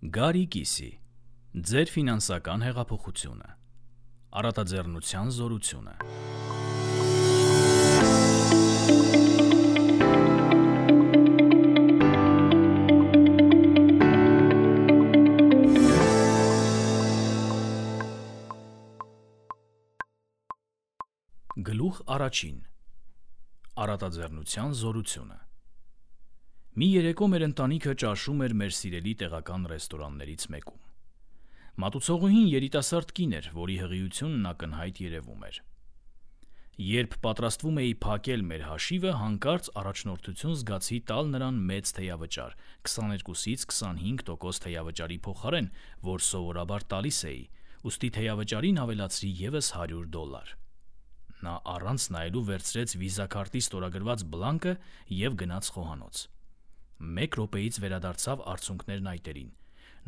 Գարի Կիսի, ձեր ֆինանսական հեղափոխությունը, առատաձեռնության զորությունը։ Գլուխ առաջին. Առատաձեռնության զորությունը։ Մի երեկո մեր ընտանիքը ճաշում էր մեր սիրելի տեղական ռեստորաններից մեկում։ Մատուցողուհին երիտասարդ կին էր, որի հղիությունն ակնհայտ երևում էր։ Երբ պատրաստվում էի փակել մեր հաշիվը, հանկարծ առաջնորդություն զգացի տալ նրան մեծ թեյավճար, 22-ից 25% թեյավճարի փոխարեն, որ սովորաբար տալիս էի, ուստի թեյավճարին ավելացրի ևս $100։ Նա առանց նայելու վերցրեց վիզա քարտի ստորագրված բլանկը և գնաց խոհանոց։ Մեկ րոպեից վերադարձավ արցունքներն այտերին։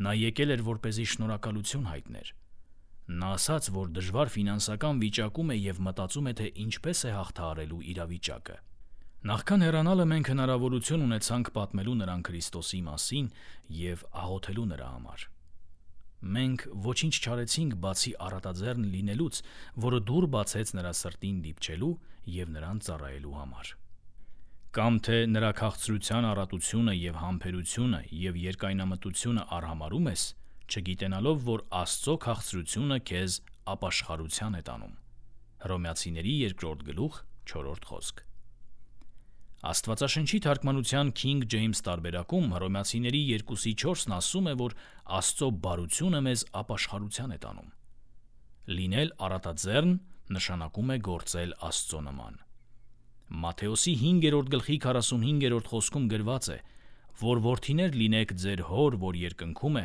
Նա եկել էր, որպեսզի շնորհակալություն հայտներ։ Նա ասաց, որ դժվար ֆինանսական վիճակում է և մտածում է, թե ինչպես է հաղթահարելու իրավիճակը։ Նախքան հեռանալը մենք հնարավորություն ունեցանք պատմելու նրան Քրիստոսի մասին և աղոթելու նրա համար։ Մենք ոչինչ չարեցինք, բացի առատաձեռն լինելուց, որը դուռ բացեց նրա սրտին դիպչելու և նրան ծառայելու համար։ Կամ թե նրա քաղցրության առատությունը և համբերությունը և երկայնամտությունը արհամարհում ես, չգիտենալով, որ Աստծո քաղցրությունը քեզ ապաշխարության է տանում։ Հռոմեացիների 2-րդ խոսք։ Աստվածաշնչի թարգմանության King James տարբերակում Հռոմեացիների 2:4-ն ասում է, որ Աստծո բարությունը մեզ ապաշխարության է տանում։ Լինել առատաձեռն նշանակում է գործել Աստծո նման։ Մատթեոսի 5:45 խոսքում գրված է, որ որդիներ լինեք ձեր հոր, որ երկնքում է,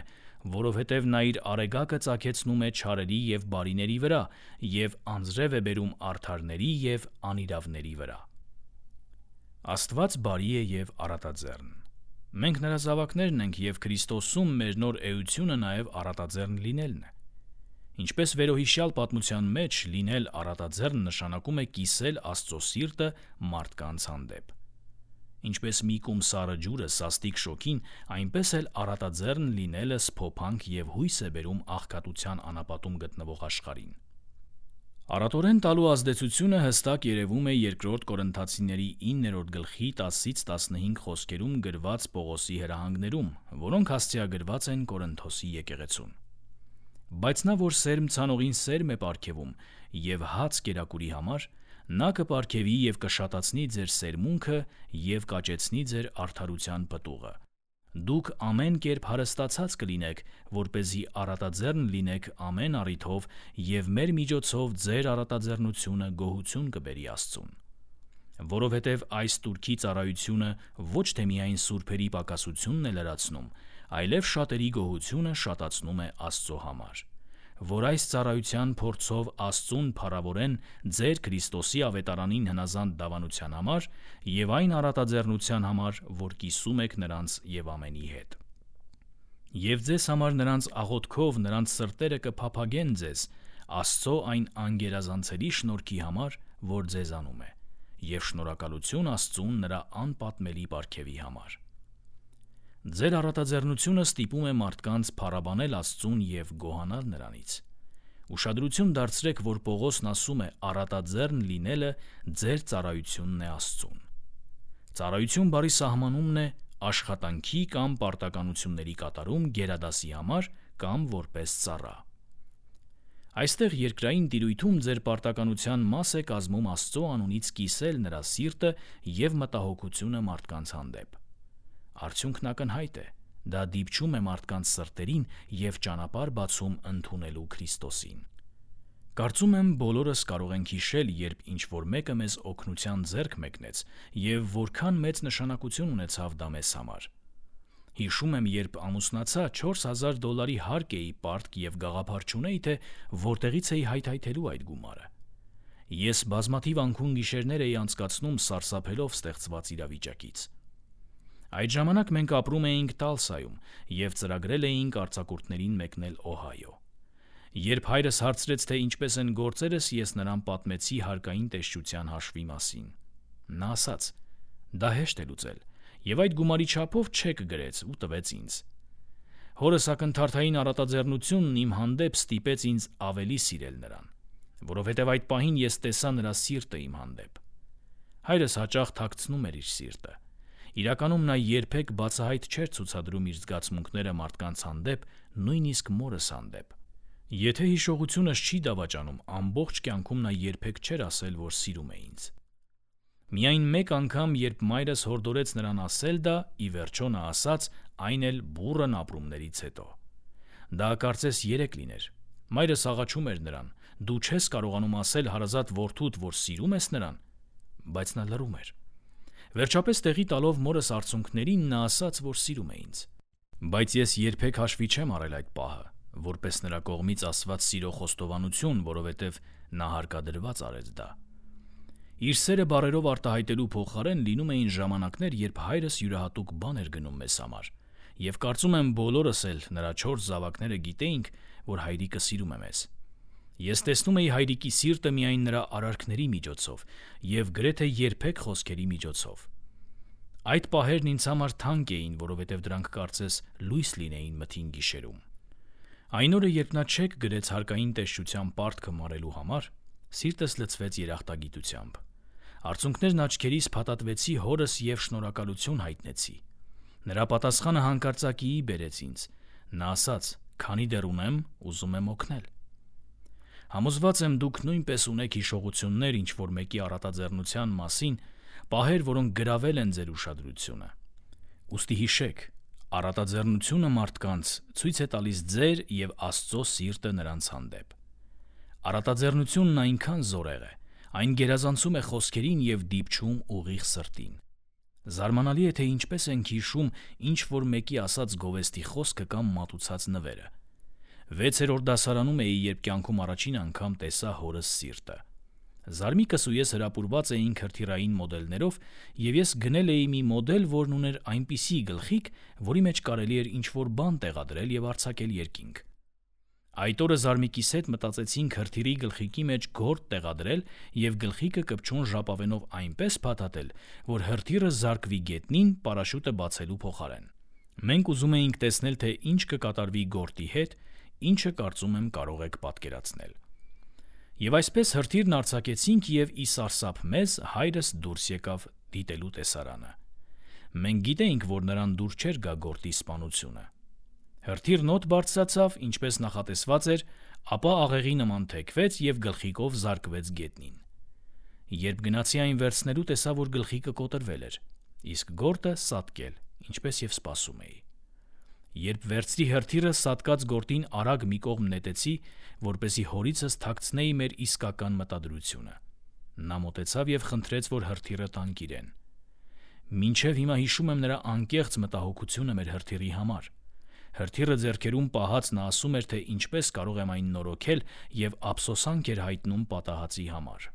որովհետև նա իր արեգակը ծագեցնում է չարերի և բարիների վրա և անձրև է բերում արդարների և անիրավների վրա։ Աստված բարի է և առատաձեռն։ Մենք նրա զավակներն ենք և Քրիստոսում մեր նոր էությունը նաև առատաձեռն լինելն է։ Ինչպես վերոհիշյալ պատմության մեջ, լինել առատաձեռն նշանակում է կիսել Աստծո սիրտը մարդկանց հանդեպ։ Ինչպես մի կում սառը ջուրը սաստիկ շոգին, այնպես էլ առատաձեռն լինելը սփոփանք և հույս է բերում աղքատության անապատում գտնվող աշխարհին։ Առատորեն տալու ազդեցությունը հստակ երևում է 2 Կորնթացիների 9:10-15 խոսքերում գրված Պողոսի հրահանգներում, որոնք հասցեագրված են Կորնթոսի եկեղեցուն։ Բայց նա, որ սերմ ցանողին սերմ է պարգևում և հաց կերակուրի համար, նա կպարգևի և կշատացնի ձեր սերմունքը և կաճեցնի ձեր արդարության պտուղը։ Դուք ամեն կերպ հարստացած կլինեք, որպեսզի առատաձեռն լինեք ամեն առիթով և մեր միջոցով ձեր առատաձեռնությունը գոհություն կբերի Աստծուն։ Որովհետև այս տուրքի ծառայությունը ոչ թե միայն սուրբերի պակասությունն է լրացնում, այլև շատերի գոհությունը շատացնում է Աստծո համար, որ այս ծառայության փորձով Աստծուն փառավորեն ձեր Քրիստոսի ավետարանին հնազանդ դավանության համար և այն առատաձեռնության համար, որ կիսում եք նրանց և ամենի հետ։ Եվ ձեզ համար նրանց աղոթքով նրանց սրտերը կփափագեն ձեզ Աստծո այն անգերազանցելի շնորհքի համար, որ ձեզանում է, և շնորհակալություն Աստծուն նրա անպատմելի պարգևի համար։ Ձեր առատաձեռնությունը ստիպում է մարդկանց փառաբանել Աստծուն և գոհանալ նրանից։ Ուշադրություն դարձրեք, որ Պողոսն ասում է առատաձեռն լինելը ձեր ծառայությունն է Աստծուն։ Ծառայություն բառի սահմանումն է աշխատանքի կամ պարտականությունների կատարում գերադասի համար կամ որպես ծառա։ Այստեղ երկրային տիրույթում ձեր պարտականության մաս է կազմում Աստծո անունից կիսել նրա սիրտը և մտահոգությունը մարդկանց հանդեպ։ Արդյունքն ակնհայտ է, դա դիպչում է մարդկանց սրտերին և ճանապարհ բացում ընդունելու Քրիստոսին։ Կարծում եմ բոլորս կարող ենք հիշել, երբ ինչ-որ մեկը մեզ օգնության ձեռք մեկնեց և որքան մեծ նշանակություն ունեցավ դա մեզ համար։ Հիշում եմ, երբ ամուսնացա, $4000 հարկ էի պարտք և գաղափար չունեի, թե որտեղից էի հայթայթելու այդ գումարը։ Ես բազմաթիվ անքուն գիշերներ էի անցկացնում սարսափելով ստեղծված իրավիճակից։ Այդ ժամանակ մենք ապրում էինք Տալսայում և ծրագրել էինք արձակուրդներին մեկնել Օհայո։ Երբ հայրս հարցրեց, թե ինչպես են գործերս, ես նրան պատմեցի հարկային տեսչության հաշվի մասին։ Նա ասաց. «Դա հեշտ է լուծել», և այդ գումարի չափով չեք գրեց ու տվեց ինձ։ Հորս ակնթարթային առատաձեռնությունն իմ հանդեպ ստիպեց ինձ ավելի սիրել նրան, որովհետև այդ պահին ես տեսա նրա սիրտը իմ հանդեպ։ Հայրս հաճախ թաքցնում էր իր սիրտը։ Իրականում նա երբեք բացահայտ չէր ցուցադրում իր զգացմունքները մարդկանց հանդեպ, նույնիսկ մորս հանդեպ։ Եթե հիշողությունս չի դավաճանում, ամբողջ կյանքում նա երբեք չէր ասել, որ սիրում է ինձ։ Միայն մեկ անգամ, երբ մայրս հորդորեց նրան ասել դա, ի վերջո նա ասաց, այն էլ բուռն ապրումներից հետո։ Դա կարծես երեկ լիներ։ Մայրս աղաչում էր նրան. «Դու չես կարողանում ասել հարազատ որդուդ, որ սիրում ես նրան», բայց նա լռում էր։ Վերջապես տեղի տալով մորս արցունքներին, նա ասաց, որ սիրում է ինձ։ Բայց ես երբեք հաշվի չեմ առել այդ պահը, որպես նրա կողմից ասված սիրո խոստովանություն, որովհետև նա հարկադրված արեց դա։ Իր սերը բառերով արտահայտելու փոխարեն լինում էին ժամանակներ, երբ հայրս յուրահատուկ բան էր գնում մեզ համար, եւ կարծում եմ բոլորս էլ նրա 4 զավակները գիտեինք, որ հայրիկը սիրում է մեզ։ Ես տեսնում էի հայրիկի սիրտը միայն նրա արարքների միջոցով եւ գրեթե երբեք խոսքերի միջոցով։ Այդ պահերն ինձ համար թանկ էին, որովհետև դրանք կարծես լույս լինեին մթին գիշերում։ Այն օրը, երբ նա չեք գրեց հարկային տեսչության պարտքը մարելու համար, սիրտս լցվեց երախտագիտությամբ։ Արցունքներն աչքերիս փաթաթվեցի հորս եւ շնորհակալություն հայտնեցի։ Նրա պատասխանը հանկարծակիի բերեց ինձ։ Նա ասաց. «Քանի դեռ ունեմ, ուզում եմ օգնել»։ Համոզված եմ, դուք նույնպես ունեք հիշողություններ ինչ-որ մեկի առատաձեռնության մասին, պահեր, որոնք գրավել են ձեր ուշադրությունը։ Ուստի հիշեք, առատաձեռնությունը մարդկանց ցույց է տալիս ձեր եւ Աստծո սիրտը նրանց հանդեպ։ Առատաձեռնությունն այնքան զորեղ է, այն գերազանցում է խոսքերին եւ դիպչում ուղիղ սրտին։ Զարմանալի է, թե ինչպես ենք հիշում ինչ-որ մեկի ասած գովեստի խոսքը կամ մատուցած նվերը։ 6-րդ դասարանում էի, երբ կյանքում առաջին անգամ տեսա հորս սիրտը։ Զարմիկս ու ես հրապուրված էինք հրթիռային մոդելներով, եւ ես գնել էի մի մոդել, որն ուներ այնպիսի գլխիկ, որի մեջ կարելի էր ինչ-որ բան տեղադրել եւ արձակել երկինք։ Այդ օրը Զարմիկիս հետ մտածեցինք հրթիռի գլխիկի մեջ գորտ տեղադրել եւ գլխիկը կպչուն ժապավենով այնպես փաթաթել, որ հրթիռը զարկվի գետնին պարաշուտը բացելու փոխարեն։ Մենք ուզում էինք տեսնել, թե ինչ կկատարվի գորտի հետ, ինչը կարծում եմ կարող եք պատկերացնել։ Եվ այսպես հրթիռն արձակեցինք եւ ի սարսափ մեզ հայրս դուրս եկավ դիտելու տեսարանը։ Մենք գիտեինք, որ նրան դուր չէր գա գորտի սպանությունը։ Հրթիռն օդ բարձրացավ, ինչպես նախատեսված էր, ապա աղեղի նման թեքվեց եւ գլխիկով զարկվեց գետնին։ Երբ գնացի այն վերցնելու, տեսա, որ գլխիկը կոտրվել էր, իսկ գորտը սատկել, ինչպես եւ սպասում էի։ Երբ վերցրի հրթիռը, սատկած գորտին արագ մի կողմ նետեցի, որպեսզի հորիցս թաքցնեի մեր իսկական մտադրությունը։ Նա մոտեցավ եւ խնդրեց, որ հրթիռը տանք իրեն։ Մինչև հիմա հիշում եմ նրա անկեղծ մտահոգությունը մեր հրթիռի համար։ Հրթիռը ձեռքերում պահած նա ասում էր, թե ինչպես կարող եմ այն նորոգել եւ ափսոսանք էր հայտնում պատահածի համար։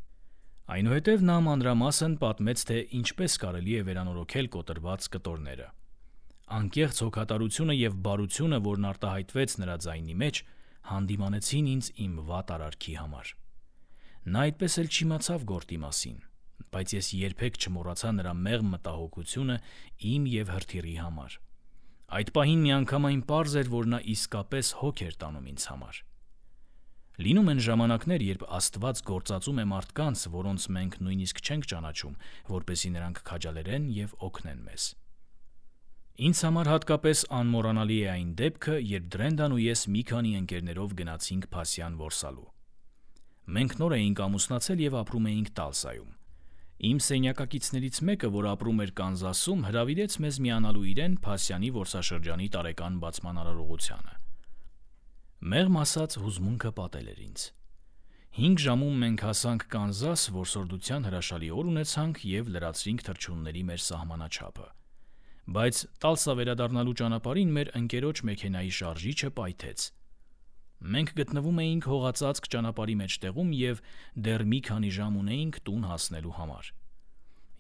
Այնուհետև նա մանրամասն պատմեց, թե ինչպես կարելի է վերանորոգել կոտրված կտորները։ Անկեղծ հոգատարությունը եւ բարությունը, որն արտահայտվեց նրա ձայնի մեջ, հանդիմանեցին ինձ իմ վատ արարքի համար։ Նա այդպես էլ չիմացավ գորտի մասին, բայց ես երբեք չմոռացա նրա մեղմ մտահոգությունը իմ եւ հրթիռի համար։ Այդ պահին միանգամայն պարզ էր, որ նա իսկապես հոգ էր տանում ինձ համար։ Լինում են ժամանակներ, երբ Աստված գործածում է մարդկանց, որոնց մենք նույնիսկ չենք ճանաչում, որպեսզի նրանք քաջալերեն եւ օգնեն մեզ։ Ինձ համար հատկապես անմոռանալի է այն դեպքը, երբ Դրենդան ու ես մի քանի ընկերներով գնացինք Փասյան որսալու։ Մենք նոր էինք ամուսնացել եւ ապրում էինք Տալսայում։ Իմ սենյակակիցներից մեկը, որ ապրում էր Կանզասում, հրավիրեց մեզ միանալու իրեն Փասյանի որսաշրջանի տարեկան բացման արարողությանը։ Մեղմ ասած, հուզմունքը պատել էր ինձ։ 5 ժամում մենք հասանք Կանզաս, որսորդության հրաշալի օր ունեցանք եւ լրացրինք թռչունների մեր սահմանաչափը։ Բայց Տալսա վերադառնալու ճանապարհին մեր ընկերոջ մեքենայի շարժիչը պայթեց։ Մենք գտնվում էինք հողածածկ ճանապարհի մեջտեղում եւ դեռ մի քանի ժամ ունեինք տուն հասնելու համար։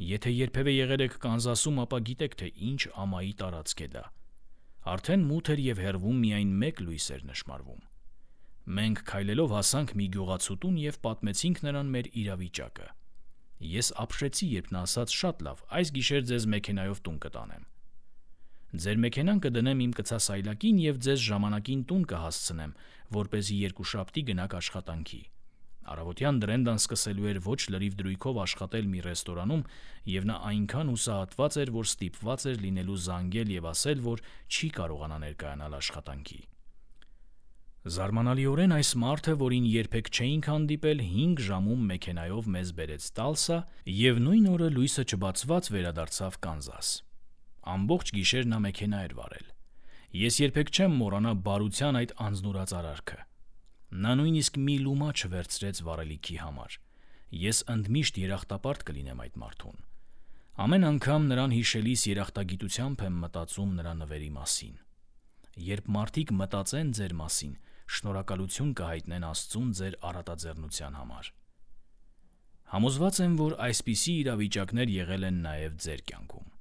Եթե երբևէ եղել եք Կանզասում, ապա գիտեք, թե ինչ ամայի տարածք է դա։ Արդեն մութ էր եւ հեռվում միայն մեկ լույս էր նշմարվում։ Մենք քայլելով հասանք մի գյուղացու տուն եւ պատմեցինք նրան մեր իրավիճակը։ Ես ապշեցի, երբ նա ասաց. «Շատ լավ, այս գիշեր ձեզ մեքենայով տուն կտանեմ»։ Ձեր մեքենան կդնեմ իմ կցասայլակին և ձեզ ժամանակին տուն կհասցնեմ, որպեսզի երկուշաբթի գնաք աշխատանքի։ Առավոտյան Բրենդան սկսելու էր ոչ լրիվ դրույքով աշխատել մի ռեստորանում, և նա այնքան հուսահատված էր, որ ստիպված էր լինելու զանգել և ասել, որ չի կարողանա ներկայանալ աշխատանքի։ Զարմանալիորեն այս մարդը, որին երբեք չէինք հանդիպել, 5 ժամում մեքենայով մեզ բերեց Տալսա և նույն օրը լույսը չբացված վերադարձավ Կանզաս։ Ամբողջ գիշեր նա մեքենա էր վարել։ Ես երբեք չեմ մոռանա բարության այդ անձնուրաց արարքը։ Նա նույնիսկ մի լումա չվերցրեց վառելիքի համար։ Ես ընդմիշտ երախտապարտ կլինեմ այդ մարդուն։ Ամեն անգամ նրան հիշելիս երախտագիտությամբ եմ մտածում նրա նվերի մասին։ Երբ մարդիկ մտածեն ձեր մասին, շնորհակալություն կհայտնեն Աստծուն ձեր առատաձեռնության համար։ Համոզված եմ, որ այսպիսի իրավիճակներ եղել են նաև ձեր կյանքում։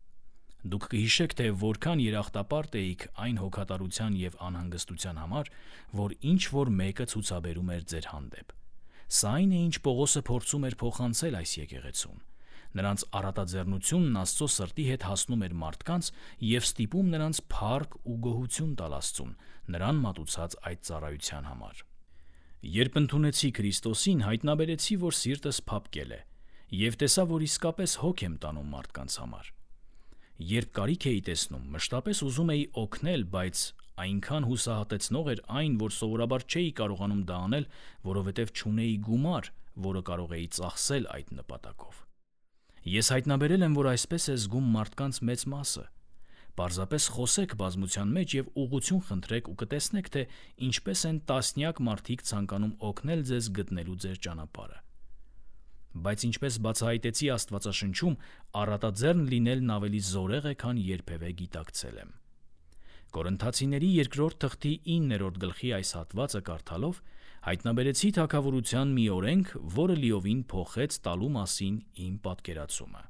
Դուք կհիշեք, թե որքան երախտապարտ էիք այն հոգատարության և անհանգստության համար, որ ինչ-որ մեկը ցուցաբերում էր ձեր հանդեպ։ Սա այն է, ինչ Պողոսը փորձում էր փոխանցել այս եկեղեցուն։ Նրանց առատաձեռնությունն Աստծո սրտի հետ հասնում էր մարդկանց և ստիպում նրանց փառք ու գոհություն տալ Աստծուն, նրան մատուցած այդ ծառայության համար։ Երբ ընդունեցի Քրիստոսին, հայտնաբերեցի, որ սիրտս փափկել է, և տեսա, որ իսկապես հոգ եմ տանում մարդկանց համար։ Երբ կարիք էի տեսնում, մշտապես ուզում էի օգնել, բայց այնքան հուսահատեցնող էր այն, որ սովորաբար չէի կարողանում դա անել, որովհետև չունեի գումար, որը կարող էի ծախսել այդ նպատակով։ Ես հայտնաբերել եմ, որ այսպես է զգում մարդկանց մեծ մասը։ Պարզապես խոսեք բազմության մեջ և ուղղություն խնդրեք ու կտեսնեք, թե ինչպես են տասնյակ մարդիկ ցանկանում օգնել ձեզ գտնելու ձեր ճանապարհը։ Բայց ինչպես բացահայտեցի Աստվածաշնչում, առատաձեռն լինելն ավելի զորեղ է, քան երբևէ գիտակցել եմ։ Կորինթացիների 2-րդ թղթի 9-րդ գլխի այս հատվածը կարդալով հայտնաբերեցի թագավորության մի օրենք, որը լիովին փոխեց տալու մասին իմ պատկերացումը։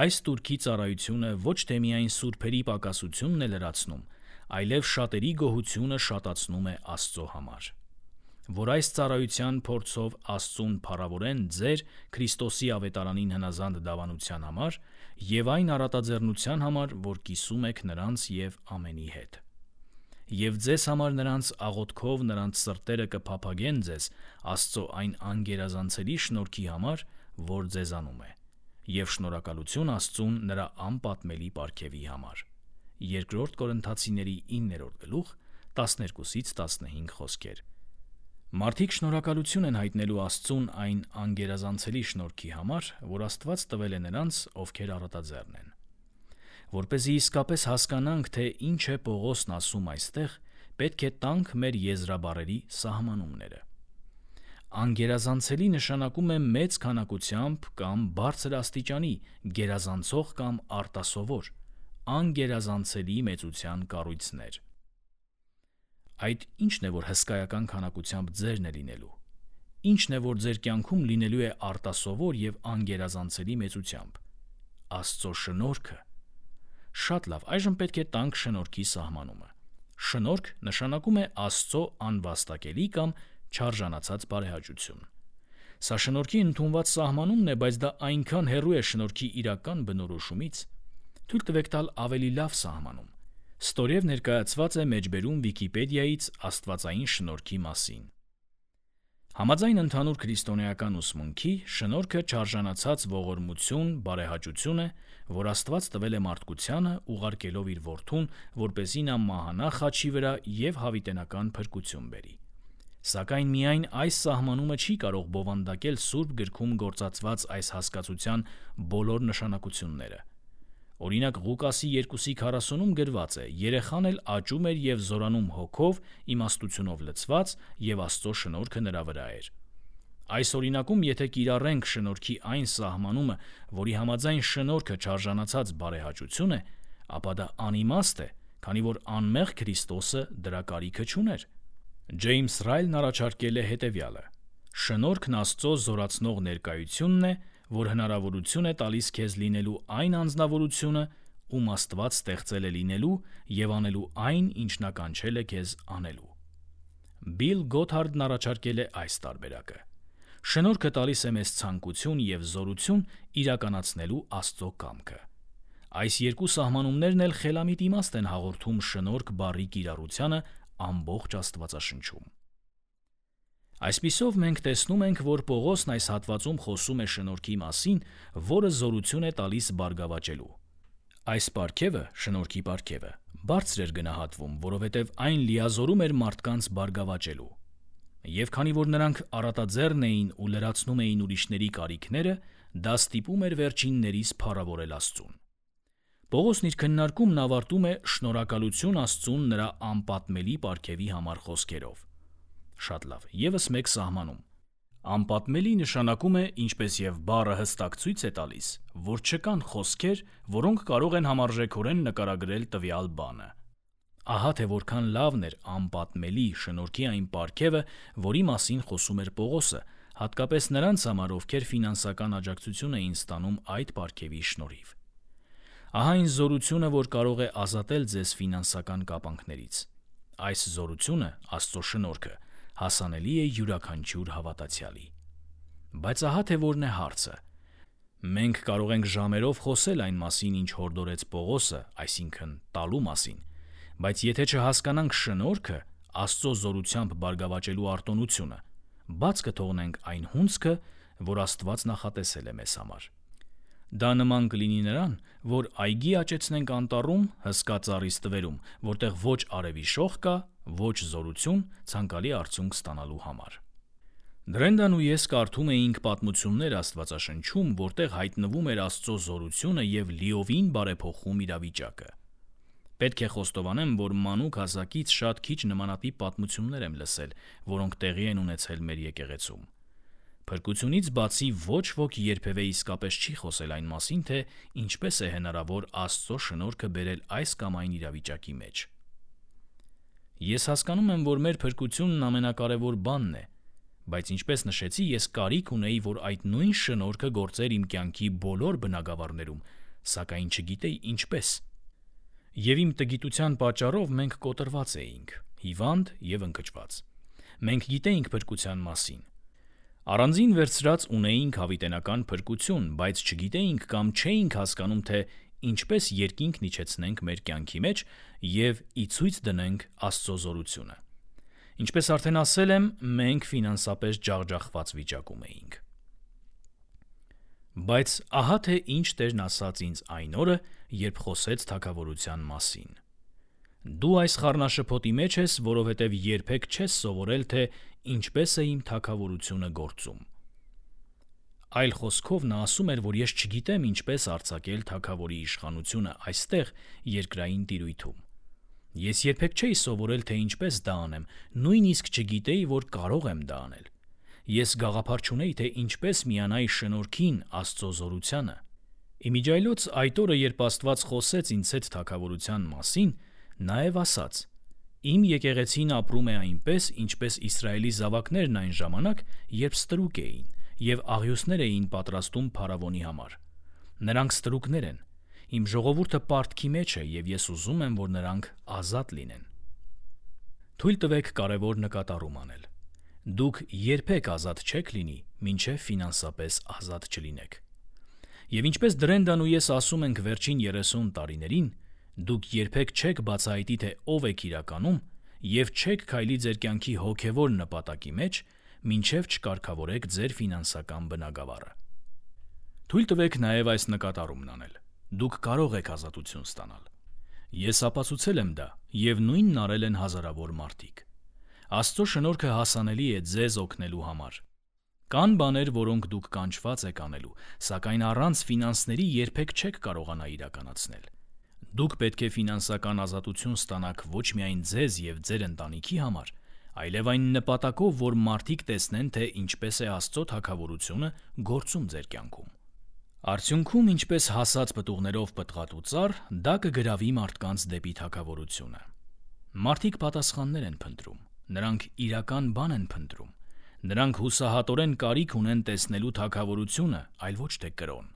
Այս տուրքի ծառայությունը ոչ թե միայն սուրբերի պակասությունն է լրացնում, այլև շատերի գոհությունը շատացնում է Աստծո համար։ Որ այս ծառայության փորձով Աստծուն փառավորեն ձեր Քրիստոսի ավետարանին հնազանդ դավանության համար և այն առատաձեռնության համար, որ կիսում եք նրանց և ամենի հետ։ Եվ ձեզ համար նրանց աղոթքով նրանց սրտերը կփափագեն ձեզ Աստծո այն անգերազանցելի շնորհքի համար, որ ձեզանում է, և շնորհակալություն Աստծուն նրա անպատմելի պարգևի համար։ 2 Կորինթացիների 9-րդ գլուխ 12-15 խոսքեր։ Մարդիկ շնորհակալություն են հայտնելու Աստծուն այն անգերազանցելի շնորհքի համար, որ Աստված տվել է նրանց, ովքեր առատաձեռն են։ Որպեսզի իսկապես հասկանանք, թե ինչ է Պողոսն ասում այստեղ, պետք է տանք մեր եզրաբառերի սահմանումները։ Անգերազանցելի նշանակում է մեծ քանակությամբ կամ բարձր աստիճանի, գերազանցող կամ արտասովոր, անգերազանցելի մեծության կառույցներ։ Այդ ի՞նչն է, որ հսկայական քանակությամբ ձերն է լինելու։ Ի՞նչն է, որ ձեր կյանքում լինելու է արտասովոր և անգերազանցելի մեծությամբ։ Աստծո շնորհքը։ Շատ լավ, այժմ պետք է տանք շնորհքի սահմանումը։ Շնորհք նշանակում է Աստծո անվաստակելի կամ չարժանացած բարեհաճություն։ Սա շնորհքի ընդունված սահմանումն է, բայց դա այնքան հեռու է շնորհքի իրական բնորոշումից։ Թույլ տվեք տալ ավելի լավ սահմանում։ Ստորև ներկայացված է մեջբերում Վիկիպեդիայից աստվածային շնորհքի մասին։ Համաձայն ընդհանուր քրիստոնեական ուսմունքի, շնորհքը չարժանացած ողորմություն, բարեհաճություն է, որ Աստված տվել է մարդկությանը, ուղարկելով իր Որդուն, որպեսզի նա մահանա խաչի վրա և հավիտենական փրկություն բերի։ Սակայն միայն այս սահմանումը չի կարող բովանդակել Սուրբ գրքում գործածված այս հասկացության բոլոր նշանակությունները։ Օրինակ Ղուկասի 2:40-ում գրված է. «Երեխան էլ աճում էր և զորանում հոգով, իմաստությունով լցված, և Աստծո շնորհքը նրա վրա էր»։ Այս օրինակում, եթե կիրառենք շնորհքի այն սահմանումը, որի համաձայն շնորհքը չարժանացած բարեհաճություն է, ապա դա անիմաստ է, քանի որ անմեղ Քրիստոսը դրա կարիքը չուներ։ Ջեյմս Ռայլն առաջարկել է հետևյալը. շնորհքն Աստծո զորացնող ներկայությունն է, որ հնարավորություն է տալիս քեզ լինելու այն անձնավորությունը, ում Աստված ստեղծել է լինելու և անելու այն, ինչ նա կանչել է քեզ անելու։ Բիլ Գոթհարդն առաջարկել է այս տարբերակը. շնորհքը տալիս է մեզ ցանկություն և զորություն իրականացնելու Աստծո կամքը։ Այս երկու սահմանումներն էլ խելամիտ իմաստ են հաղորդում շնորհք բառի կիրառությանը ամբողջ Աստվածաշնչում։ Այսպիսով մենք տեսնում ենք, որ Պողոսն այս հատվածում խոսում է շնորհքի մասին, որը զորություն է տալիս բարգավաճելու։ Այս պարգևը, շնորհքի պարգևը, բարձր էր գնահատվում, որովհետև այն լիազորում էր մարդկանց բարգավաճելու։ Եվ քանի որ նրանք առատաձեռն էին ու լրացնում էին ուրիշների կարիքները, դա ստիպում էր վերջիններից փառավորել Աստծուն։ Պողոսն իր քննարկումն ավարտում է շնորհակալություն Աստծուն նրա անպատմելի պարգևի համար խոսքերով։ Շատ լավ, ևս մեկ սահմանում։ Անպատմելի նշանակում է, ինչպես եւ բառը հստակ ցույց է տալիս, որ չկան խոսքեր, որոնք կարող են համարժեքորեն նկարագրել տվյալ բանը։ Ահա թե որքան լավն էր անպատմելի շնորհքի այն պարգևը, որի մասին խոսում էր Պողոսը, հատկապես նրանց համար, ովքեր ֆինանսական աջակցություն էին ստանում այդ պարգևի շնորհիվ։ Ահա այն զորությունը, որ կարող է ազատել ձեզ ֆինանսական կապանքներից։ Այս զորությունը, Աստծո շնորհքը, հասանելի է յուրաքանչյուր հավատացյալի։ Բայց ահա թե որն է հարցը։ Մենք կարող ենք ժամերով խոսել այն մասին, ինչ հորդորեց Պողոսը, այսինքն տալու մասին, բայց եթե չհասկանանք շնորհքը, Աստծո զորությամբ բարգավաճելու արտոնությունը, բաց կթողնենք այն հունձքը, որ Աստված նախատեսել է մեզ համար։ Դա նման կլինի նրան, որ այգի աճեցնենք անտառում, հսկա ծառի ստվերում, որտեղ ոչ արևի շող կա, ոչ զորություն ցանկալի արդյունք ստանալու համար։ Դրենդան ու ես կարդում էինք պատմություններ Աստվածաշնչում, որտեղ հայտնվում էր Աստծո զորությունը եւ լիովին բարեփոխում իրավիճակը։ Պետք է խոստովանեմ, որ մանուկ հասակից շատ քիչ նմանատիպ պատմություններ եմ լսել, որոնք տեղի են ունեցել մեր եկեղեցում։ Փրկությունից բացի ոչ ոք երբևէ իսկապես չի խոսել այն մասին, թե ինչպես է հնարավոր Աստծո շնորհքը բերել այս կամ այն իրավիճակի մեջ։ Ես հասկանում եմ, որ մեր փրկությունն ամենակարևոր բանն է, բայց ինչպես նշեցի, ես կարիք ունեի, որ այդ նույն շնորհքը գործեր իմ կյանքի բոլոր բնագավառներում, սակայն չգիտեի ինչպես։ Եվ իմ տգիտության պատճառով մենք կոտրված էինք, հիվանդ եւ ընկճված։ Մենք գիտեինք փրկության մասին։ Առանձին վերցրած ունեինք հավիտենական փրկություն, բայց չգիտեինք կամ չէինք հասկանում, թե ինչպես երկինքն իջեցնենք մեր կյանքի մեջ եւ ի ցույց դնենք Աստծո զորությունը։ Ինչպես արդեն ասել եմ, մենք ֆինանսապես ջախջախված վիճակում էինք։ Բայց ահա թե ինչ Տերն ասաց ինձ այն օրը, երբ խոսեց թագավորության մասին։ Դու այս խառնաշփոթի մեջ ես, որովհետև երբեք չես սովորել, թե ինչպես է իմ թագավորությունը գործում։ Այլ խոսքով նա ասում էր, որ ես չգիտեմ ինչպես արձակել թագավորի իշխանությունը այստեղ երկրային տիրույթում։ Ես երբեք չէի սովորել, թե ինչպես դա անեմ, նույնիսկ չգիտեի, որ կարող եմ դա անել։ Ես գաղափար չունեի, թե ինչպես միանայի շնորհքին, Աստծո զորությանը։ Իմիջայլոց այդ օրը, երբ Աստված խոսեց ինձ հետ թագավորության մասին, նաև ասաց. «Իմ եկեղեցին ապրում է այնպես, ինչպես Իսրայելի զավակներն այն ժամանակ, երբ ստրուկ էին, եւ աղյուսներ էին պատրաստում փարավոնի համար։ Նրանք ստրուկներ են։ Իմ ժողովուրդը պարտքի մեջ է, եւ ես ուզում եմ, որ նրանք ազատ լինեն»։ Թույլ տվեք կարևոր նկատառում անել։ Դուք երբեք ազատ չեք լինի, մինչև ֆինանսապես ազատ չլինեք։ Եվ ինչպես Դրենդան ու ես ասում ենք վերջին 30 տարիներին, դուք երբեք չեք բացահայտի, թե ով եք իրականում, եւ չեք քայլի ձեր կյանքի հոգեվոր նպատակի մեջ, մինչև չկարգավորեք ձեր ֆինանսական բնագավառը։ Թույլ տվեք նաև այս նկատառումն անել։ Դուք կարող եք ազատություն ստանալ։ Ես ապացուցել եմ դա, եւ նույնն արել են հազարավոր մարդիկ։ Աստծո շնորհքը հասանելի է ձեզ օգնելու համար։ Կան բաներ, որոնք դուք կանչված եք անելու, սակայն առանց ֆինանսների երբեք չեք կարողանա իրականացնել։ Դուք պետք է ֆինանսական ազատություն ստանաք ոչ միայն ձեզ եւ ձեր ընտանիքի համար, այլև այն նպատակով, որ մարդիկ տեսնեն, թե ինչպես է Աստծո թագավորությունը գործում ձեր կյանքում։ Արդյունքում, ինչպես հասած պտուղներով պտղատու ծառ, դա կգրավի մարդկանց դեպի թագավորությունը։ Մարդիկ պատասխաններ են փնտրում, նրանք իրական բան են փնտրում։ Նրանք հուսահատորեն կարիք ունեն տեսնելու թագավորությունը, այլ ոչ թե կրոն։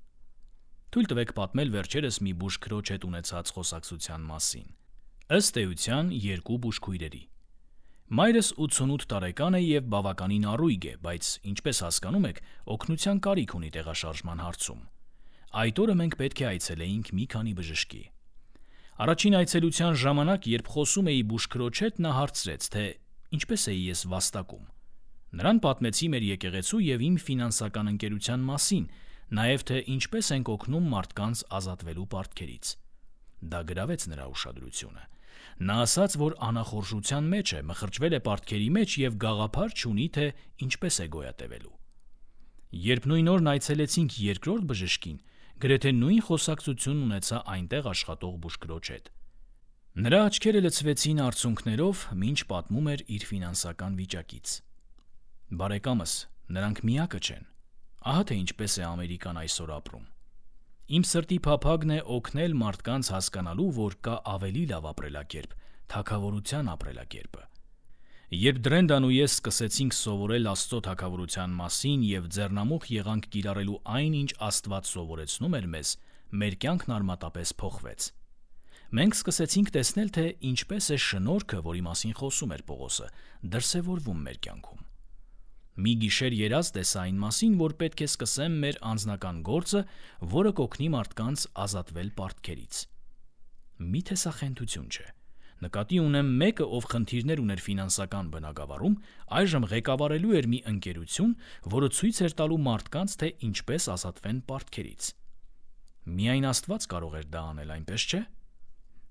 Թույլ տվեք պատմել վերջերս մի բուժքրոջ հետ ունեցած խոսակցության մասին։ Ըստ էության 2 բուժքույրերի։ Մայրս 88 տարեկան է եւ բավականին առույգ է, բայց ինչպես հասկանում եք, օգնության կարիք ունի տեղաշարժման հարցում։ Այդ օրը մենք պետք է այցելեինք մի քանի բժշկի։ Առաջին այցելության ժամանակ, երբ խոսում էի բուժքրոջ հետ, նա հարցրեց, թե ինչպես էի ես վաստակում։ Նրան պատմեցի մեր եկեղեցու և իմ ֆինանսական ընկերության մասին, նաև թե ինչպես ենք օգնում մարդկանց ազատվելու պարտքերից։ Դա գրավեց նրա ուշադրությունը։ Նա ասաց, որ անախորժության մեջ է, մխրճվել է պարտքերի մեջ և գաղափար չունի, թե ինչպես է գոյատևելու։ Երբ նույն օրն այցելեցինք երկրորդ բժշկին, գրեթե նույն խոսակցությունն ունեցա այնտեղ աշխատող բուժքրոջ հետ։ Նրա աչքերը լցվեցին արցունքներով, մինչ պատմում էր իր ֆինանսական վիճակից։ Բարեկամս, նրանք միակը չեն։ Ահա թե ինչպես է Ամերիկան այսօր ապրում։ Իմ սրտի փափագն է օգնել մարդկանց հասկանալու, որ կա ավելի լավ ապրելակերպ, թագավորության ապրելակերպը։ Երբ Դրենդան ու ես սկսեցինք սովորել Աստծո թագավորության մասին և ձեռնամուխ եղանք կիրառելու այն, ինչ Աստված սովորեցնում էր մեզ, մեր կյանքն արմատապես փոխվեց։ Մենք սկսեցինք տեսնել, թե ինչպես է շնորհքը, որի մասին խոսում էր Պողոսը, դրսևորվում մեր կյանքում։ Մի գիշեր երազ տեսա այն մասին, որ պետք է սկսեմ մեր անձնական գործը, որը կօգնի մարդկանց ազատվել պարտքերից։ Միթե սա խենթություն չէ։ Նկատի ունեմ մեկը, ով խնդիրներ ուներ ֆինանսական բնագավառում, այժմ ղեկավարելու էր մի ընկերություն, որը ցույց էր տալու մարդկանց, թե ինչպես ազատվեն պարտքերից։ Միայն Աստված կարող էր դա անել, այնպես չէ՞։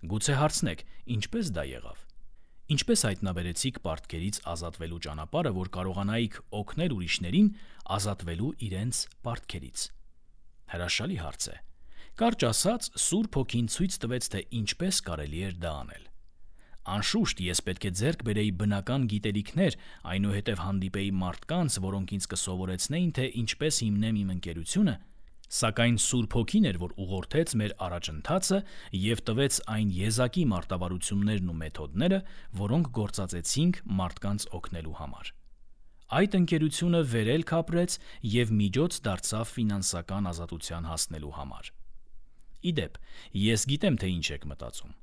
Գուցե հարցնեք, ինչպես դա եղավ։ Ինչպես հայտնաբերեցիք պարտքերից ազատվելու ճանապարհը, որ կարողանայիք օգնել ուրիշներին ազատվելու իրենց պարտքերից։ Հրաշալի հարց է։ Կարճ ասած, Սուրբ Հոգին ցույց տվեց, թե ինչպես կարելի էր դա անել։ Անշուշտ, ես պետք է ձեռք բերեի բնական գիտելիքներ, այնուհետև հանդիպեի մարդկանց, որոնք ինձ կսովորեցնեին, թե ինչպես հիմնեմ իմ ընկերությունը, սակայն Սուրբ Հոգին էր, որ ուղղորդեց մեր առաջընթացը և տվեց այն եզակի մարտավարություններն ու մեթոդները, որոնք գործածեցինք մարդկանց օգնելու համար։ Այդ ընկերությունը վերելք ապրեց և միջոց դարձավ ֆինանսական ազատության հասնելու համար։ Ի դեպ, ես գիտեմ, թե ինչ եք մտածում։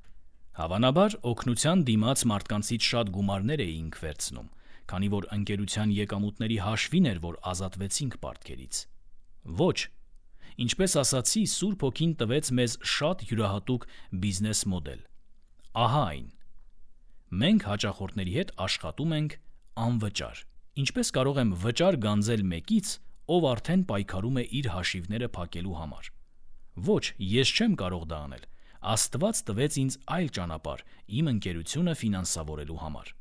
Հավանաբար, օգնության դիմաց մարդկանցից շատ գումարներ էինք վերցնում, քանի որ ընկերության եկամուտների հաշվին էր, որ ազատվեցինք պարտքերից։ Ոչ։ Ինչպես ասացի, Սուրբ Հոգին տվեց մեզ շատ յուրահատուկ բիզնես մոդել։ Ահա այն։ Մենք հաճախորդների հետ աշխատում ենք անվճար։ Ինչպես կարող եմ վճար գանձել մեկից, ով արդեն պայքարում է իր հաշիվները փակելու համար։ Ոչ, ես չեմ կարող դա անել։ Աստված տվեց ինձ այլ ճանապարհ իմ ընկերությունը ֆինանսավորելու համար։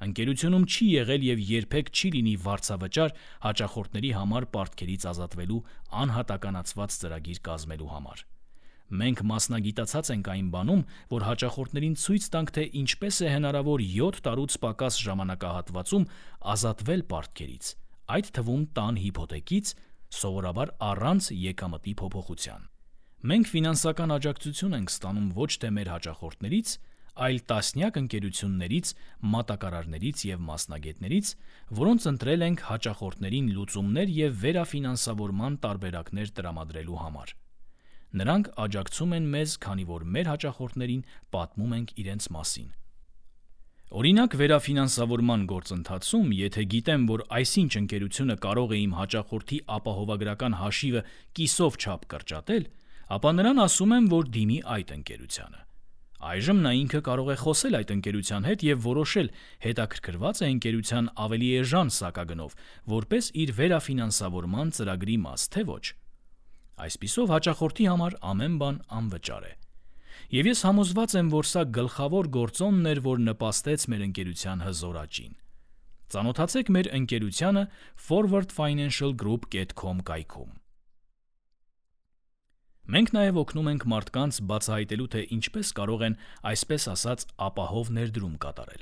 Ընկերությունում չի եղել և երբեք չի լինի վարձավճար հաճախորդների համար պարտքերից ազատվելու անհատականացված ծրագիր կազմելու համար։ Մենք մասնագիտացած ենք այն բանում, որ հաճախորդներին ցույց տանք, թե ինչպես է հնարավոր 7 տարուց պակաս ժամանակահատվածում ազատվել պարտքերից, այդ թվում տան հիփոթեքից, սովորաբար առանց եկամտի փոփոխության։ Մենք ֆինանսական աջակցություն ենք ստանում ոչ թե մեր հաճախորդներից, այլ տասնյակ ընկերություններից, մատակարարներից և մասնագետներից, որոնց ընտրել ենք հաճախորդներին լուծումներ և վերաֆինանսավորման տարբերակներ տրամադրելու համար։ Նրանք աջակցում են մեզ, քանի որ մեր հաճախորդներին պատմում ենք իրենց մասին։ Օրինակ, վերաֆինանսավորման գործընթացում, եթե գիտեմ, որ այսինչ ընկերությունը կարող է իմ հաճախորդի ապահովագրական հաշիվը կիսով չափ կրճատել, ապա նրան ասում եմ, որ դիմի այդ ընկերությանը։ Այժմ նա ինքը կարող է խոսել այդ ընկերության հետ և որոշել, հետաքրքրված է ընկերության ավելի էժան սակագնով, որպես իր վերաֆինանսավորման ծրագրի մաս, թե ոչ։ Այսպիսով հաճախորդի համար ամեն բան անվճար է։ Եվ ես համոզված եմ, որ սա գլխավոր գործոնն էր, որ նպաստեց մեր ընկերության հզոր աճին։ Ծանոթացեք մեր ընկերությանը forwardfinancialgroup.com կայքում։ Մենք նաև օգնում ենք մարդկանց բացահայտելու, թե ինչպես կարող են, այսպես ասած, ապահով ներդրում կատարել։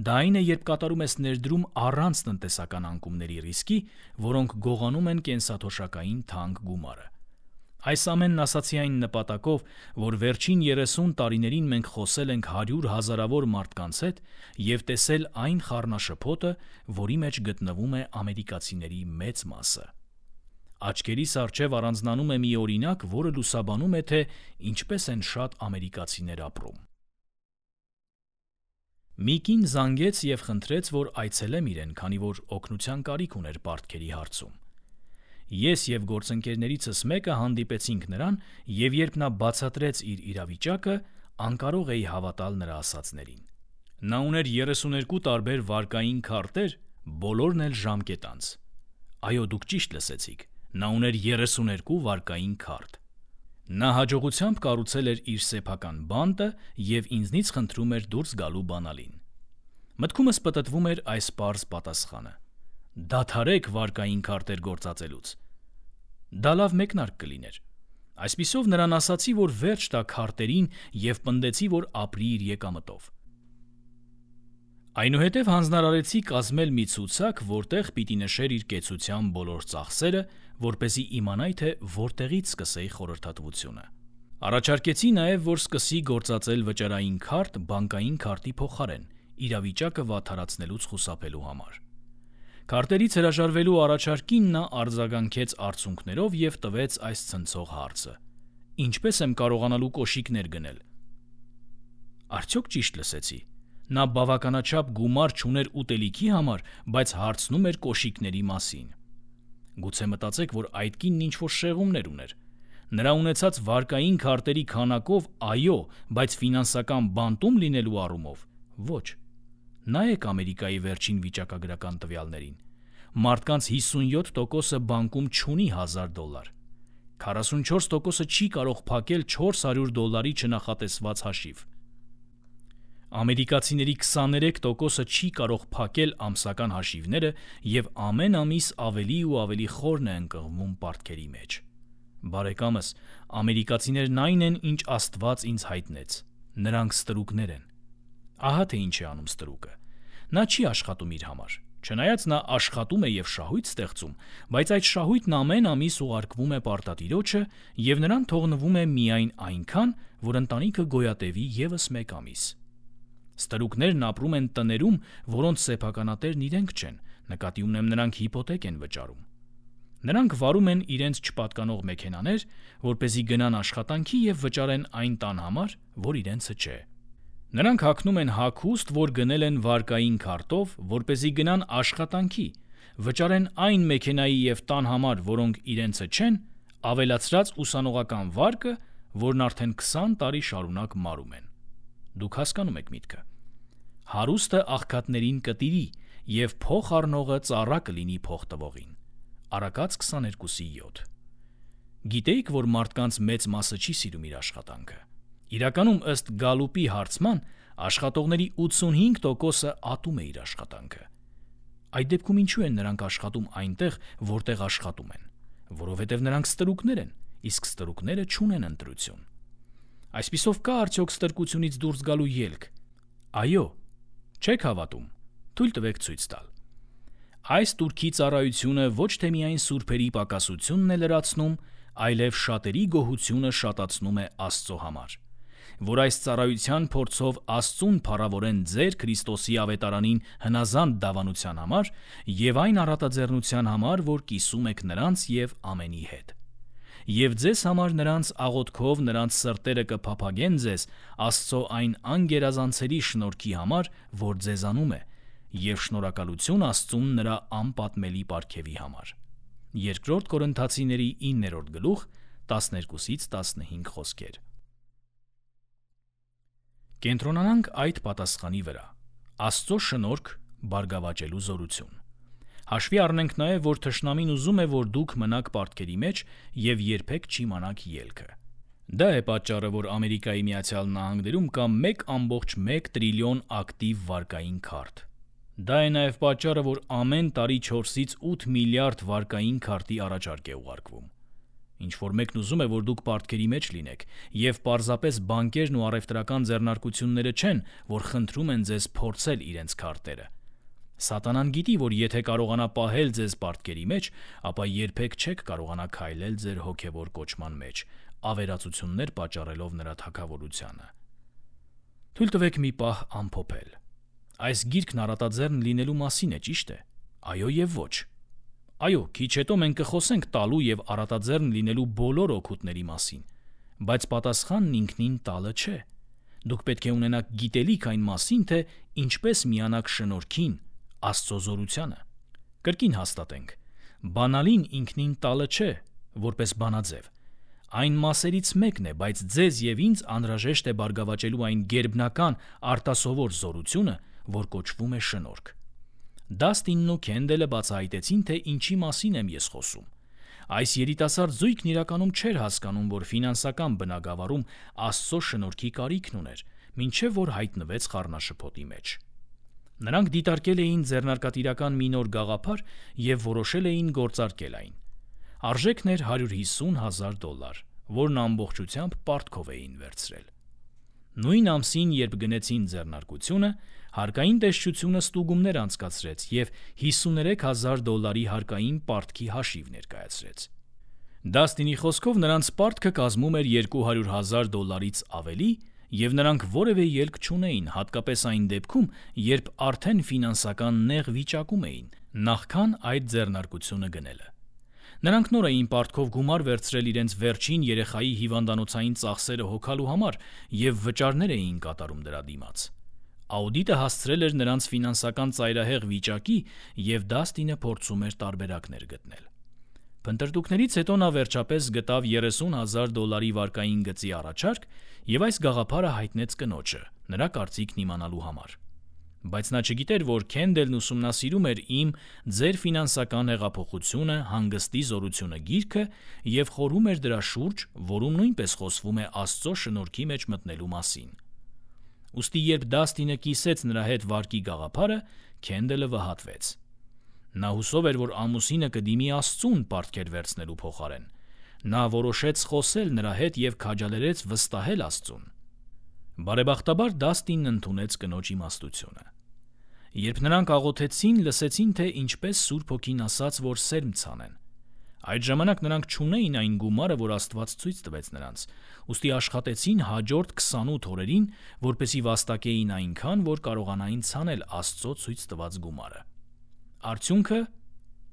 Դա այն է, երբ կատարում ես ներդրում առանց տնտեսական անկումների ռիսկի, որոնք գողանում են կենսաթոշակային թանկ գումարը։ Այս ամենն ասացի այն նպատակով, որ վերջին 30 տարիներին մենք խոսել ենք 100 հազարավոր մարդկանց հետ և տեսել այն խառնաշփոթը, որի մեջ գտնվում է ամերիկացիների մեծ մասը։ Աչքերիս առջև առանձնանում է մի օրինակ, որը լուսաբանում է, թե ինչպես են շատ ամերիկացիներ ապրում։ Մի կին զանգեց և խնդրեց, որ այցելեմ իրեն, քանի որ օգնության կարիք ուներ պարտքերի հարցում։ Ես եւ գործընկերներիցս մեկը հանդիպեցինք նրան, եւ երբ նա բացատրեց իր իրավիճակը, անկարող էի հավատալ նրա ասածներին։ Նա ուներ 32 տարբեր վարկային քարտեր, բոլորն էլ ժամկետանց։ Այո, դուք ճիշտ լսեցիք, նա ուներ 32 վարկային քարտ։ Նա հաջողությամբ կառուցել էր իր սեփական բանտը եւ ինձնից խնդրում էր դուրս գալու բանալին։ Մտքումս պտտվում էր այս պարզ պատասխանը. դադարեք վարկային քարտեր գործածելուց։ Դա լավ մեկնարկ կլիներ։ Այսպիսով նրան ասացի, որ վերջ տա քարտերին եւ պնդեցի, որ ապրի իր եկամտով։ Այնուհետև հանձնարարեցի կազմել մի ցուցակ, որտեղ պիտի նշեր իր կեցության բոլոր ծախսերը, որպեսզի իմանայի, թե որտեղից սկսեի խորհրդատվությունը։ Առաջարկեցի նաև, որ սկսի գործածել վճարային քարտ բանկային քարտի փոխարեն, իրավիճակը վատթարացնելուց խուսափելու համար։ Քարտերից հրաժարվելու առաջարկին նա արձագանքեց արցունքներով եւ տվեց այս ցնցող հարցը. Ինչպես եմ կարողանալու կոշիկներ գնել։ Արդյոք ճիշտ լսեցի։ Նա բավականաչափ գումար չուներ ուտելիքի համար, բայց հարցնում էր կոշիկների մասին։ Գուցե մտածեք, որ այդ կինն ինչ-որ շեղումներ ուներ։ Նրա ունեցած վարկային քարտերի քանակով այո, բայց ֆինանսական բանտում լինելու առումով ոչ։ Նայեք Ամերիկայի վերջին վիճակագրական տվյալներին։ Մարդկանց 57%-ը բանկում չունի $1000։ 44%-ը չի կարող փակել $400 չնախատեսված հաշիվ։ Ամերիկացիների 23%-ը չի կարող փակել ամսական հաշիվները եւ ամեն ամիս ավելի ու ավելի խորն է ընկղմում պարտքերի մեջ։ Բարեկամս, ամերիկացիներն այն են, ինչ Աստված ինձ հայտնեց։ Նրանք ստրուկներ են։ Ահա թե ինչ է անում ստրուկը։ Նա չի աշխատում իր համար։ Չնայած նա աշխատում է եւ շահույթ ստեղծում, բայց այդ շահույթն ամեն ամիս ուղարկվում է պարտադիրոջը եւ նրան թողնվում է միայն այնքան, որ ընտանիքը գոյատևի եւս մեկ ամիս։ Ստրուկներն ապրում են տներում, որոնց սեփականատերն իրենք չեն, նկատի ունեմ նրանք հիպոթեք են վճարում։ Նրանք վարում են իրենց չպատկանող մեքենաներ, որպեսզի գնան աշխատանքի եւ վճարեն այն տան համար, որ իրենցը չէ։ Նրանք հագնում են հագուստ, որ գնել են վարկային քարտով, որպեսզի գնան աշխատանքի, վճարեն այն մեքենայի եւ տան համար, որոնք իրենցը չեն, ավելացրած ուսանողական վարկը, որն արդեն 20 տարի շարունակ մարում են։ Դուք հասկանում եք միտքը։ Հարուստը աղքատներին կտիրի եւ փող առնողը ծառա կլինի փող տվողին։ Արակած 22:7։ Գիտեիք, որ մարդկանց մեծ մասը չի սիրում իր աշխատանքը։ Իրականում ըստ Գալուպի հարցման աշխատողների 85%-ը ատում է իր աշխատանքը։ Այդ դեպքում ինչու են նրանք աշխատում այնտեղ, որտեղ աշխատում են։ Որովհետև նրանք ստրուկներ են, իսկ ստրուկները չունեն ընտրություն։ Այսպիսով կա արդյոք ստրկությունից դուրս գալու ելք։ Այո, չեք հավատում։ Թույլ տվեք ցույց տալ։ Այս турքի ծառայությունը ոչ թե միայն սուրբերի պակասությունն է լրացնում, այլև շատերի գոհությունը շատացնում է Աստծո համար, որ այս ծառայության փորձով Աստծուն փառավորեն ձեր Քրիստոսի ավետարանին հնազանդ դավանության համար եւ այն առատաձեռնության համար, որ կիսում եք նրանց եւ ամենի հետ։ Եվ ձեզ համար նրանց աղոթքով նրանց սրտերը կփափագեն ձեզ Աստծո այն անգերազանցելի շնորհքի համար, որ ձեզանում է, եւ շնորհակալություն Աստծուն նրա անպատմելի պարգևի համար։ Երկրորդ Կորինթացիների 9-րդ գլուխ 12-15 խոսքեր։ Կենտրոնանանք այդ պատասխանի վրա։ Աստծո շնորհք բարգավաճելու զորություն։ Հաշվի առնենք նաև, որ թշնամին ուզում է, որ դուք մնաք պարտքերի մեջ եւ երբեք չիմանաք ելքը։ Դա է պատճառը, որ Ամերիկայի Միացյալ Նահանգներում կա 1.1 տրիլիոն ակտիվ վարկային քարտ։ Դա է նաև պատճառը, որ ամեն տարի 4-ից 8 միլիարդ վարկային քարտի առաջարկ է ուղարկվում։ Ինչ-որ մեկն ուզում է, որ դուք պարտքերի մեջ լինեք, եւ պարզապես բանկերն ու առևտրական ձեռնարկությունները չեն, որ խնդրում են ձեզ փորձել իրենց քարտերը։ Սատանան գիտի, որ եթե կարողանա պահել ձեզ պարտքերի մեջ, ապա երբեք չեք կարողանա քայլել ձեր հոգևոր կոչման մեջ, ավերածություններ պատճառելով նրա թագավորությանը։ Թույլ տվեք մի պահ ամփոփել։ Այս գիրքն առատաձեռն լինելու մասին է, ճիշտ է։ Այո եւ ոչ։ Այո, քիչ հետո մենք կխոսենք տալու եւ առատաձեռն լինելու բոլոր օգուտների մասին, բայց պատասխանն ինքնին տալը չէ։ Դուք պետք է ունենաք գիտելիք այն մասին, թե ինչպես միանաք շնորհքին, Աստծո զորությանը։ Կրկին հաստատենք, Բանալին ինքնին տալը չէ, որպես բանաձև։ Այն մասերից մեկն է, բայց ձեզ եւ ինձ անհրաժեշտ է բարգավաճելու այն գերբնական արտասովոր զորությունը, որ կոչվում է շնորհք։ Դաստինն ու Քենդելը բացահայտեցին, թե ինչի մասին եմ ես խոսում։ Այս երիտասարդ զույգն իրականում չէր հասկանում, որ ֆինանսական բնագավառում Աստծո շնորհքի կարիքն ուներ, մինչև որ հայտնվեց խառնաշփոթի մեջ։ Նրանք դիտարկել էին ձեռնարկատիրական մի նոր գաղափար եւ որոշել էին գործարկել այն։ Արժեքն էր $150,000, որն ամբողջությամբ պարտքով էին վերցրել։ Նույն ամսին, երբ գնեցին ձեռնարկությունը, հարկային տեսչությունը ստուգումներ անցկացրեց եւ $53,000 հարկային պարտքի հաշիվ ներկայացրեց։ Դաստինի խոսքով նրանց պարտքը կազմում էր $200,000-ից ավելի, եւ նրանք որևէ ելք չունեին, հատկապես այն դեպքում, երբ արդեն ֆինանսական նեղ վիճակում էին, նախքան այդ ձեռնարկությունը գնելը։ Նրանք նոր էին պարտքով գումար վերցրել իրենց վերջին երեխայի հիվանդանոցային ծախսերը հոգալու համար եւ վճարներ էին կատարում դրա դիմաց։ Աուդիտը հասցրել էր նրանց ֆինանսական ծայրահեղ վիճակի եւ Դաստինը փորձում էր տարբերակներ գտնել։ Փնտրտուքներից հետո նա վերջապես գտավ $30,000 վարկային գծի առաջարկ եւ այս գաղափարը հայտնեց կնոջը, նրա կարծիքն իմանալու համար։ Բայց նա չգիտեր, որ Քենդելն ուսումնասիրում էր ձեր ֆինանսական հեղափոխությունը, հանգստի զորությունը գիրքը եւ խորհում էր դրա շուրջ, որում նույնպես խոսվում է Աստծո շնորհքի մեջ մտնելու մասին։ Ուստի երբ Դաստինը կիսեց նրա հետ վարկի գաղափարը, Քենդելը վհատվեց։ Նա հուսով էր, որ ամուսինը կդիմի Աստծուն պարտքեր վերցնելու փոխարեն։ Նա որոշեց խոսել նրա հետ եւ քաջալերեց վստահել Աստծուն։ Բարեբախտաբար Դաստինն ընդունեց կնոջ իմաստությունը։ Երբ նրանք աղոթեցին, լսեցին, թե ինչպես Սուրբ Հոգին ասաց, որ սերմ ցանեն։ Այդ ժամանակ նրանք չունեին այն գումարը, որ Աստված ցույց տվեց նրանց, ուստի աշխատեցին հաջորդ 28 օրերին, որպեսզի վաստակեին այնքան, որ կարողանային ցանել Աստծո ցույց տված գումարը։ Արդյունքը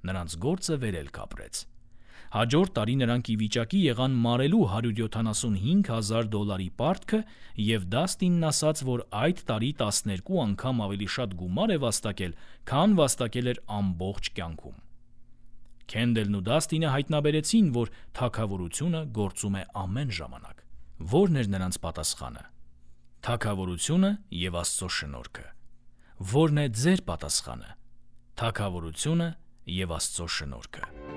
նրանց գործը վերելք ապրեց։ Հաջորդ տարի նրանք ի վիճակի եղան մարելու $175,000 պարտքը եւ Դաստինն ասաց, որ այդ տարի 12 անգամ ավելի շատ գումար է վաստակել, քան վաստակել էր ամբողջ կյանքում։ Քենդելն ու Դաստինը հայտնաբերեցին, որ թագավորությունը գործում է ամեն ժամանակ։ Ո՞րն էր նրանց պատասխանը։ Թագավորությունը եւ Աստծո շնորհքը։ Ո՞րն է ձեր պատասխանը։ Թագավորությունը եւ Աստծո շնորհքը։